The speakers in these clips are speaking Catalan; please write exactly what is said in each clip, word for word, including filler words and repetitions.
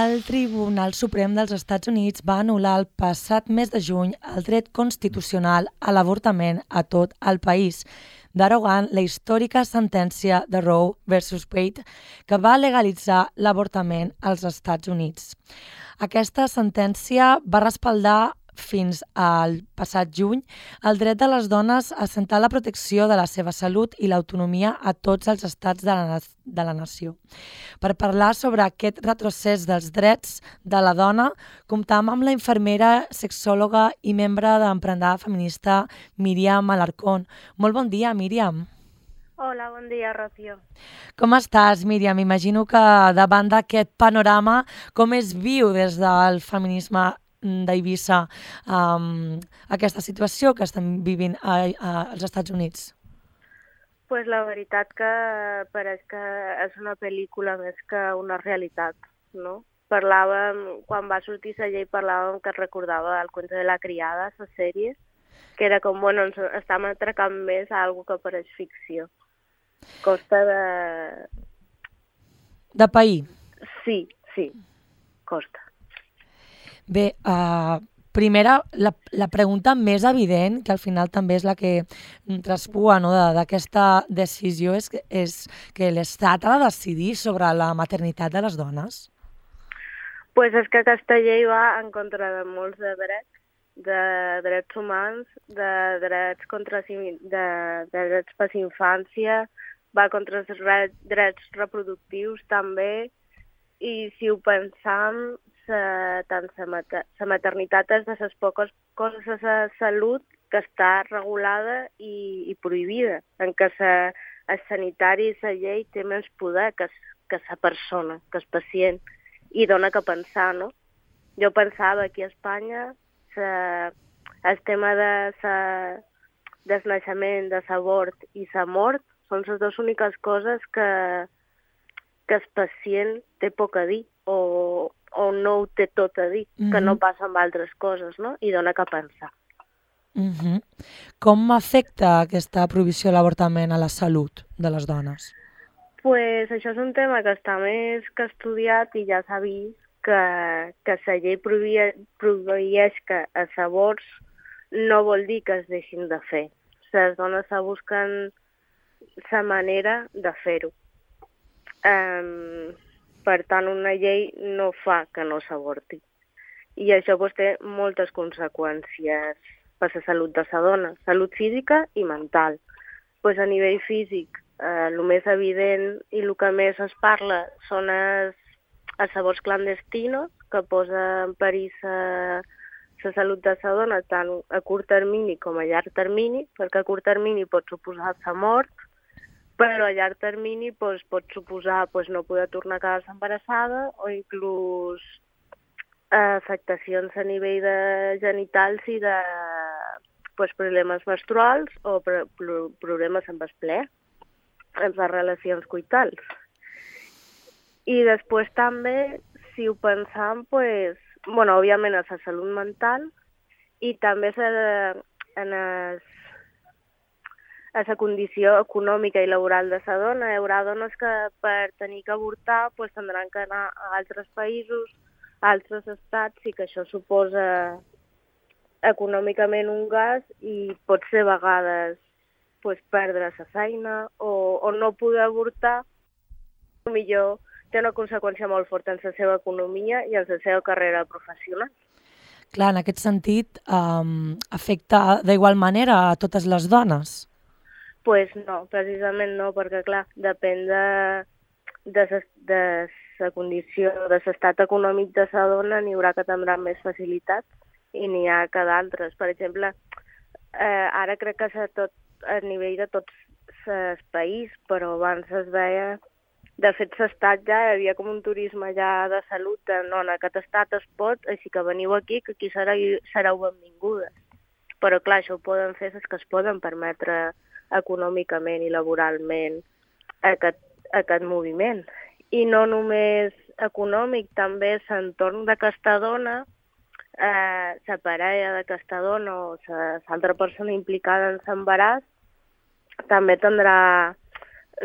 El Tribunal Suprem dels Estats Units va anul·lar el passat mes de juny el dret constitucional a l'avortament a tot el país, derogant la històrica sentència de Roe versus Wade que va legalitzar l'avortament als Estats Units. Aquesta sentència va respaldar fins al passat juny el dret de les dones a assentar la protecció de la seva salut i l'autonomia a tots els estats de la, de la nació. Per parlar sobre aquest retrocés dels drets de la dona, comptam amb la infermera, sexòloga i membre d'Emprendada Feminista Míriam Alarcón. Molt bon dia, Míriam. Hola, bon dia, Rocío. Com estàs, Míriam? Imagino que davant d'aquest panorama, com es viu des del feminisme d'Eivissa um, aquesta situació que estem vivint a, a, als Estats Units? Pues la veritat que pareix que és una pel·lícula més que una realitat, no? Parlàvem, quan va sortir la llei, parlàvem que es recordava el Cuento de la criada, la sèrie, que era com, bueno, ens estàvem atracant més a algo que pareix ficció. Costa de... De pair? Sí, sí, costa. Bé, uh, primera, la, la pregunta més evident, que al final també és la que traspua, no, d'aquesta decisió, és que, és que l'Estat ha de decidir sobre la maternitat de les dones? Pues és que aquesta llei va en contra de molts de drets, de drets humans, de drets, contra, de, de drets per la infància, va contra els drets reproductius també, i si ho pensam, sa, tant la maternitat és de les poques coses de la salut que està regulada i, i prohibida, en què sa, el sanitari i la llei té més poder que, que la persona, que el pacient, i dona que pensar, no? Jo pensava aquí a Espanya sa, el tema de sa, del naixement, de l'abort i la mort són les dues úniques coses que, que el pacient té poc a dir o, o no ho té tot a dir, mm-hmm. que no passa amb altres coses, no? I dona que pensar. Mm-hmm. Com afecta aquesta prohibició de l'avortament a la salut de les dones? Pues això és un tema que està més que estudiat i ja s'ha vist que, que la llei prohibeix que els avorts no vol dir que es deixin de fer. Les dones se busquen la manera de fer-ho. Um, per tant, una llei no fa que no s'avorti. I això pues, té moltes conseqüències per la salut de la dona, salut física i mental. Pues, a nivell físic, eh, el més evident i el que més es parla són els, els avorts clandestinos, que posa en perill la, la salut de la dona tant a curt termini com a llarg termini, perquè a curt termini pot suposar la mort, però a llarg termini pues, pot suposar pues, no poder tornar a quedar-se embarassada o inclús eh, afectacions a nivell de genitals i de pues, problemes menstruals o pro problemes amb el ple, amb les relacions coitals. I després també, si ho pensam, pues, bueno, òbviament a la salut mental i també en els a la condició econòmica i laboral de la dona. Hi haurà dones que per tenir que avortar pues, tindran que anar a altres països, a altres estats, i que això suposa econòmicament un gast i pot ser a vegades pues, perdre la feina o, o no poder avortar. Millor té una conseqüència molt forta en la seva economia i en la seva carrera professional. Clar, en aquest sentit, um, afecta d'igual manera a totes les dones? Pues no, precisament no, perquè clar, depèn de, de, de la condició, de l'estat econòmic de la dona, n'hi haurà que tindran més facilitats i n'hi ha que d'altres. Per exemple, eh, ara crec que és tot, a nivell de tots els països, però abans es veia, de fet l'estat ja hi havia com un turisme ja de salut, de no, en aquest estat es pot, així que veniu aquí, que aquí sereu, sereu benvingudes. Però clar, això ho poden fer les que es poden permetre econòmicament i laboralment aquest, aquest moviment. I no només econòmic, també l'entorn d'aquesta dona, eh, la parella d'aquesta dona o l'altra persona implicada en l'embaràs també tindrà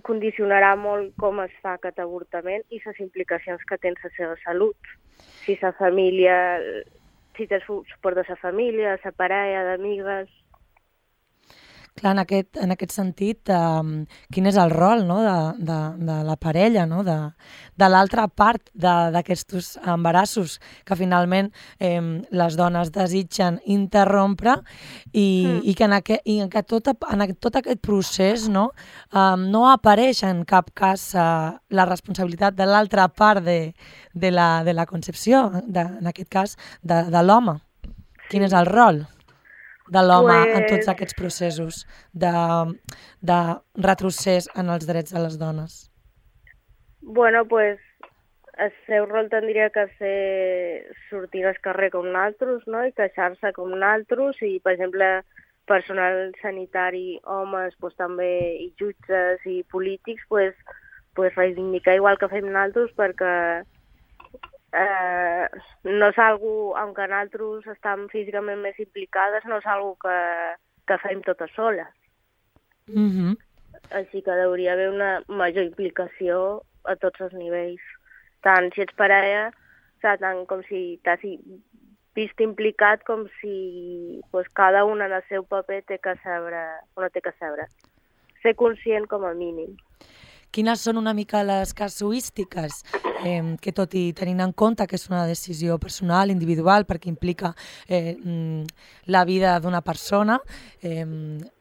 condicionarà molt com es fa aquest avortament i les implicacions que té en la seva salut. Si la família, si té suport de la família, de la parella, d'amigues... Clar, en aquest, en aquest sentit, eh, quin és el rol, no?, de, de, de la parella, no?, de, de l'altra part d'aquests embarassos que finalment eh, les dones desitgen interrompre i, mm. i que, en, aquest, i que tot, en tot aquest procés, no, eh, no apareix en cap cas eh, la responsabilitat de l'altra part de, de, la, de la concepció, de, en aquest cas de, de l'home. Sí. Quin és el rol de l'home pues... en tots aquests processos de, de retrocés en els drets de les dones? Bueno, pues el seu rol tindria que ser sortir al carrer com nosaltres, no?, i queixar-se com nosaltres, i, per exemple, personal sanitari, homes, pues, també, i jutges i polítics, pues, pues, reivindicar igual que fem nosaltres, perquè Eh, no és algo, aunque nosaltres estem físicament més implicades, no és algo que, que fem totes soles. Mm-hmm. Així que hauria haver una major implicació a tots els nivells. Tant si ets parella, o sigui, tant com si t'has vist implicat, com si pues, cada una en el seu paper té que saber, o no té que saber. Ser conscient com a mínim. Quines són una mica les casuístiques eh, que, tot i tenint en compte que és una decisió personal, individual, perquè implica eh, la vida d'una persona, eh,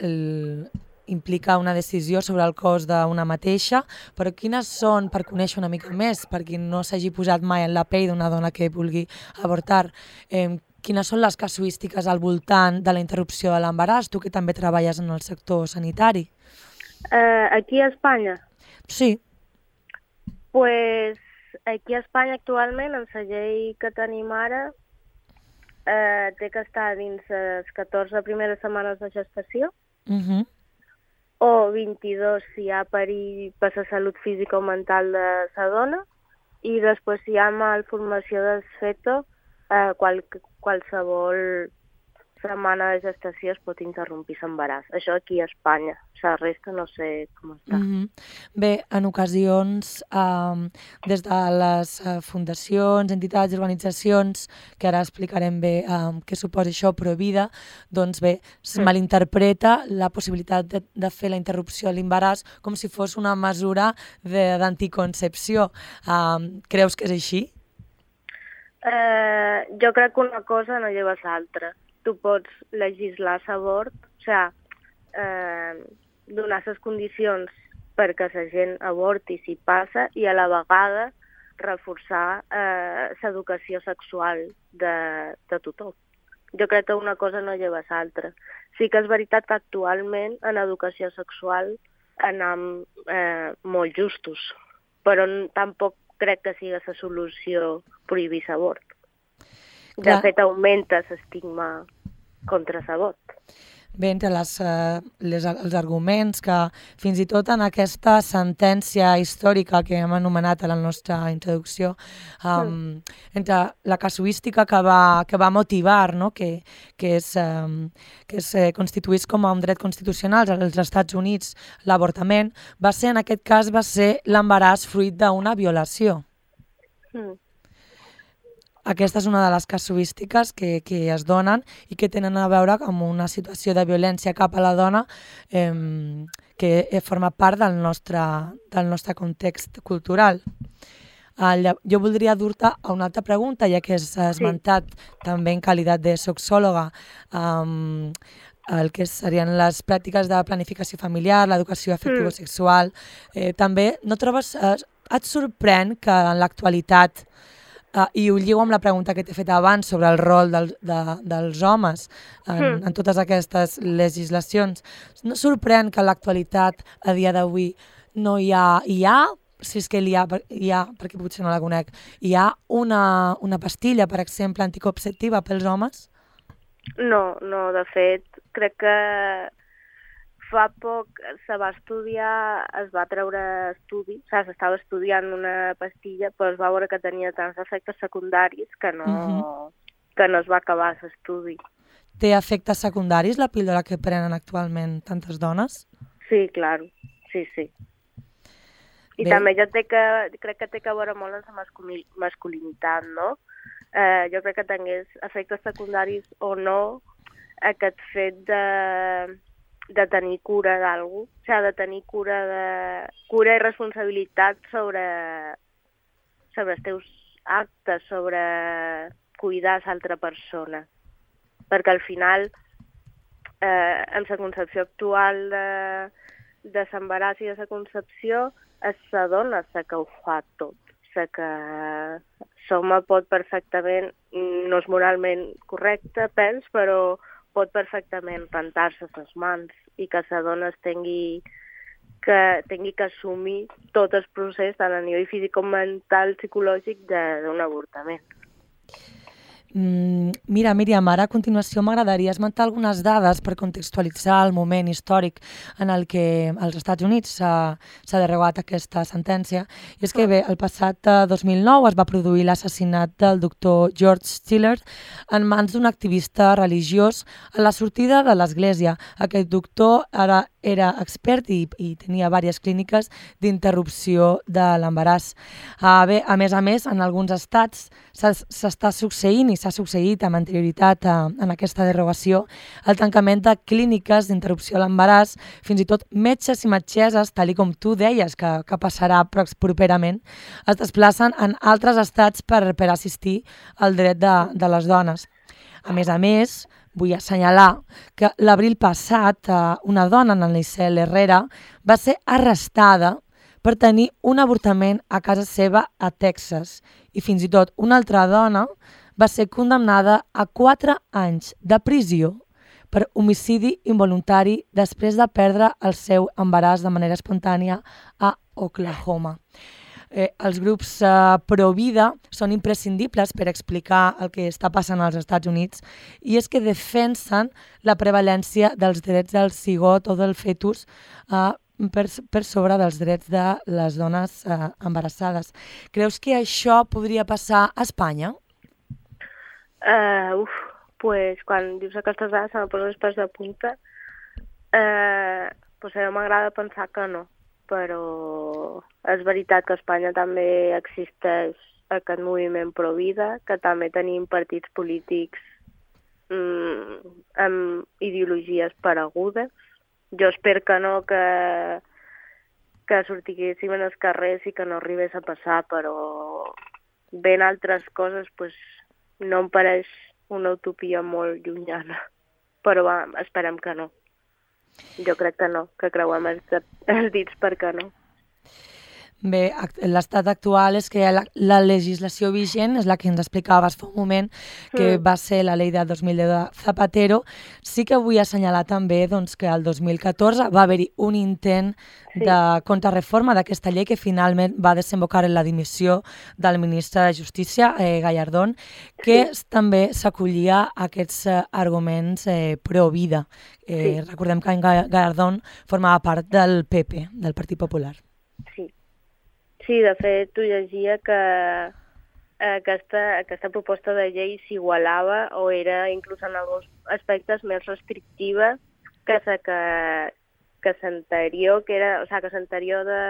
el, implica una decisió sobre el cos d'una mateixa, però quines són, per conèixer una mica més, per qui no s'hagi posat mai en la pell d'una dona que vulgui avortar, eh, quines són les casuístiques al voltant de la interrupció de l'embaràs, tu que també treballes en el sector sanitari? Uh, aquí a Espanya? Sí. Pues aquí a Espanya actualment, en la llei que tenim ara, eh, té que estar dins les catorze primeres setmanes de gestació, uh-huh. o vint-i-dos si hi ha perill per la salut física o mental de la dona, i després si hi ha malformació del feto, eh, qual, qualsevol setmana de gestació es pot interrompir l'embaràs. Això aquí a Espanya. La resta no sé com està. Mm-hmm. Bé, en ocasions, eh, des de les eh, fundacions, entitats i organitzacions, que ara explicarem bé eh, què suposa això, Provida, doncs bé, es mm. malinterpreta la possibilitat de, de fer la interrupció de l'embaràs com si fos una mesura d'anticoncepció. Eh, creus que és així? Eh, jo crec que una cosa no lleva l'altra. Tu pots legislar l'avort, o sigui, eh, donar les condicions perquè la gent avorti si passa i a la vegada reforçar eh, l'educació sexual de, de tothom. Jo crec que una cosa no lleva l'altra. Sí que és veritat que actualment en educació sexual anem eh, molt justos, però tampoc crec que sigui la solució prohibir l'avort. De fet, augmenta l'estigma contra l'avort. Bé, entre les, eh, les, els arguments que fins i tot en aquesta sentència històrica que hem anomenat a la nostra introducció, um, mm. entre la casuística que va, que va motivar, no? que, que es, um, que es eh, constituís com a un dret constitucional als Estats Units, l'avortament, va ser, en aquest cas, va ser l'embaràs fruit d'una violació. Mm. Aquesta és una de les casuístiques que, que es donen i que tenen a veure amb una situació de violència cap a la dona eh, que forma part del nostre, del nostre context cultural. Eh, jo voldria dur-te a una altra pregunta, ja que has esmentat sí. també en qualitat de sexòloga eh, el que serien les pràctiques de planificació familiar, l'educació afectivo-sexual. Eh, també no trobes, eh, et sorprèn que en l'actualitat Uh, i ho lligo amb la pregunta que t'he fet abans sobre el rol del, de, dels homes en, mm. en totes aquestes legislacions. No sorprèn que a l'actualitat, a dia d'avui, no hi ha, hi ha, si és que hi ha, hi ha, perquè potser no la conec, hi ha una, una pastilla, per exemple, anticonceptiva pels homes? No, no, de fet, crec que fa poc se va estudiar, es va treure estudi, o sigui, s'estava estudiant una pastilla, però es va veure que tenia tants efectes secundaris que no, uh-huh. que no es va acabar l'estudi. Té efectes secundaris la píldora que prenen actualment tantes dones? Sí, clar, sí, sí. I Bé. també jo té que, crec que té que veure molt amb la masculi masculinitat, no? Eh, jo crec que tingués efectes secundaris o no aquest fet de, de tenir cura d'algú, o sigui, de tenir cura, de, cura i responsabilitat sobre, sobre els teus actes, sobre cuidar l'altra persona. Perquè al final, eh, amb la concepció actual de, de l'embaràs i de la concepció, és la dona la que ho fa tot. La que l'home pot perfectament, no és moralment correcte, pens, però pot perfectament rentar-se les mans i que la dona es tingui que, tingui que assumir tot el procés, tant a nivell físic com mental, psicològic, d'un avortament. Mm, mira, Míriam, ara a continuació m'agradaria esmentar algunes dades per contextualitzar el moment històric en el que als Estats Units s'ha derogat aquesta sentència. I és que bé, el passat dos mil nou es va produir l'assassinat del doctor George Stiller en mans d'un activista religiós a la sortida de l'església. Aquest doctor ara era expert i, i tenia diverses clíniques d'interrupció de l'embaràs. Uh, bé, a més a més, en alguns estats s'està succeint i s'ha succeït amb anterioritat uh, en aquesta derogació el tancament de clíniques d'interrupció de l'embaràs, fins i tot metges i metgesses, tal com tu deies que, que passarà properament, es desplacen en altres estats per, per assistir al dret de, de les dones. A més a més, vull assenyalar que l'abril passat una dona, Annalise Herrera, va ser arrestada per tenir un avortament a casa seva a Texas i fins i tot una altra dona va ser condemnada a quatre anys de prisió per homicidi involuntari després de perdre el seu embaràs de manera espontània a Oklahoma. Eh, els grups eh, pro-vida són imprescindibles per explicar el que està passant als Estats Units i és que defensen la prevalència dels drets del cigot o del fetus eh, per, per sobre dels drets de les dones eh, embarassades. Creus que això podria passar a Espanya? Uh, uf, pues quan dius aquestes dades se me posen els pèls de punta. Uh, pues a mi m'agrada pensar que no, però és veritat que a Espanya també existeix aquest moviment pro-vida, que també tenim partits polítics mm, amb ideologies paregudes. Jo espero que no, que, que sortiguéssim en els carrers i que no arribés a passar, però ben altres coses pues, no em pareix una utopia molt llunyana, però va, esperem que no. Jo crec que no, que creuem els, els dits perquè no. Bé, l'estat actual és que la, la legislació vigent és la que ens explicaves fa un moment, que mm. va ser la llei de dos mil deu de Zapatero. Sí que vull assenyalar també doncs, que el dos mil catorze va haver-hi un intent sí. de contrarreforma d'aquesta llei que finalment va desembocar en la dimissió del ministre de Justícia, eh, Gallardón, que sí. també s'acollia a aquests eh, arguments eh, pro-vida. Eh, sí. Recordem que en Gallardón formava part del P P, del Partit Popular. Sí. Sí, de fet, tu llegia que aquesta, aquesta proposta de llei s'igualava o era inclús en alguns aspectes més restrictiva que la que, que l'anterior, que era, o sigui, que l'anterior de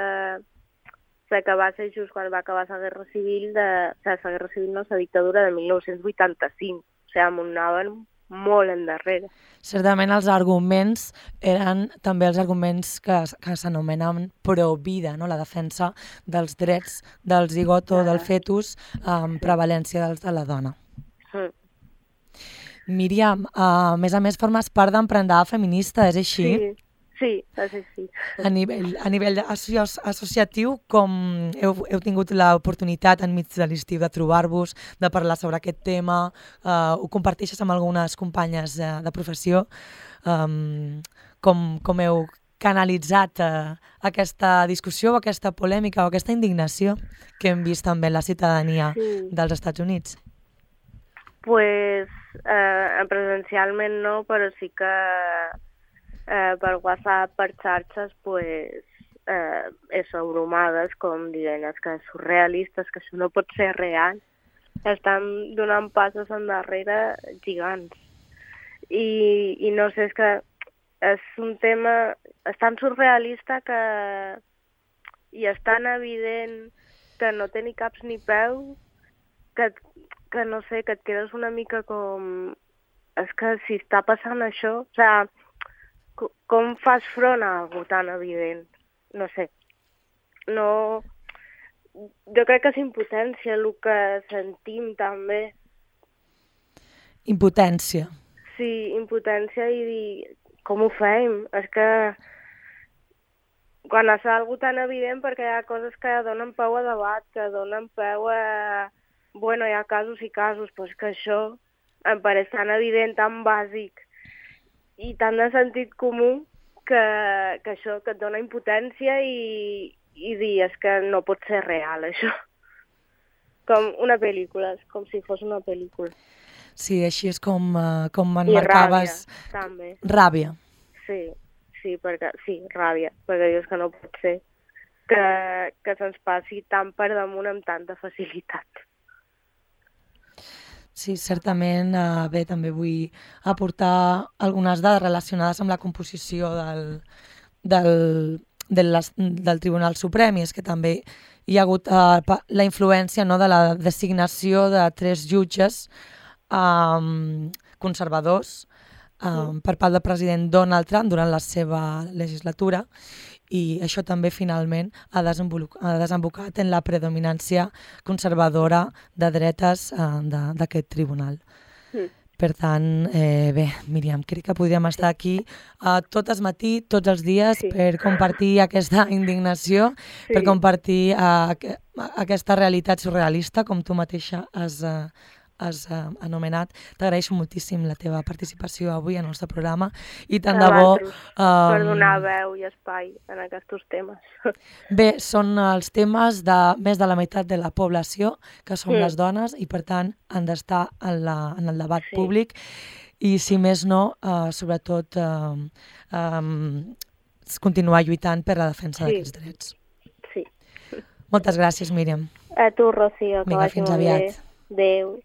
la que va ser just quan va acabar la Guerra Civil, de, o sigui, la Guerra Civil no, la dictadura de mil nou-cents vuitanta-cinc, o sigui, m'anaven molt endarrere. Certament els arguments eren també els arguments que, que s'anomenen pro-vida, no? La defensa dels drets del zigot o del fetus amb prevalència dels de la dona. Mm. Míriam, a més a més formes part d'Emprendar Feminista, és així? Sí. Sí, sí, sí. A nivell, a nivell associatiu, com heu, heu tingut l'oportunitat enmig de l'estiu de trobar-vos, de parlar sobre aquest tema, uh, ho comparteixes amb algunes companyes uh, de professió, um, com, com heu canalitzat uh, aquesta discussió o aquesta polèmica o aquesta indignació que hem vist també en la ciutadania sí. dels Estats Units? Pues, eh, presencialment no, però sí que Eh, per WhatsApp, per xarxes, pues, eh, eso, bromades, com dient, és que és surrealista, és que això no pot ser real. Estan donant passos endarrere gigants. I, i no sé, és que és un tema, és tan surrealista que, i és tan evident que no té ni caps ni peus que, que no sé, que et quedes una mica com... És que si està passant això, o sigui, com fas front a algo tan evident? No sé. No... Jo crec que és impotència el que sentim també. Impotència. Sí, impotència i dir, com ho fem? És que quan és algo tan evident, perquè hi ha coses que donen peu a debat, que donen peu a... Bueno, hi ha casos i casos, però és que això em pareix tan evident, tan bàsic i tan de sentit comú que, que això que et dona impotència i, i dir, és que no pot ser real, això. Com una pel·lícula, és com si fos una pel·lícula. Sí, així és com, uh, com I emmarcaves... ràbia, també. Ràbia. Sí, sí, perquè, sí, ràbia, perquè dius que no pot ser que, que se'ns passi tan per damunt amb tanta facilitat. Sí, certament. Uh, bé, també vull aportar algunes dades relacionades amb la composició del, del, del, del Tribunal Suprem, i és que també hi ha hagut uh, la influència, no, de la designació de tres jutges um, conservadors um, per part del president Donald Trump durant la seva legislatura, i això també finalment ha, ha desembocat en la predominància conservadora de dretes uh, d'aquest tribunal. Mm. Per tant, eh, bé, Míriam, crec que podríem estar aquí uh, tot el matí, tots els dies, sí, per compartir aquesta indignació, sí, per compartir uh, aquesta realitat surrealista, com tu mateixa has, uh, has uh, anomenat. T'agraeixo moltíssim la teva participació avui en el nostre programa i tant de bo... Um, per donar veu i espai en aquests temes. Bé, són els temes de més de la meitat de la població, que som mm. les dones, i per tant han d'estar en, la, en el debat sí. públic, i si més no, uh, sobretot uh, um, continuar lluitant per la defensa sí. d'aquests drets. Sí. Moltes gràcies, Míriam. A tu, Rocío. Vinga, fins aviat. Adéu.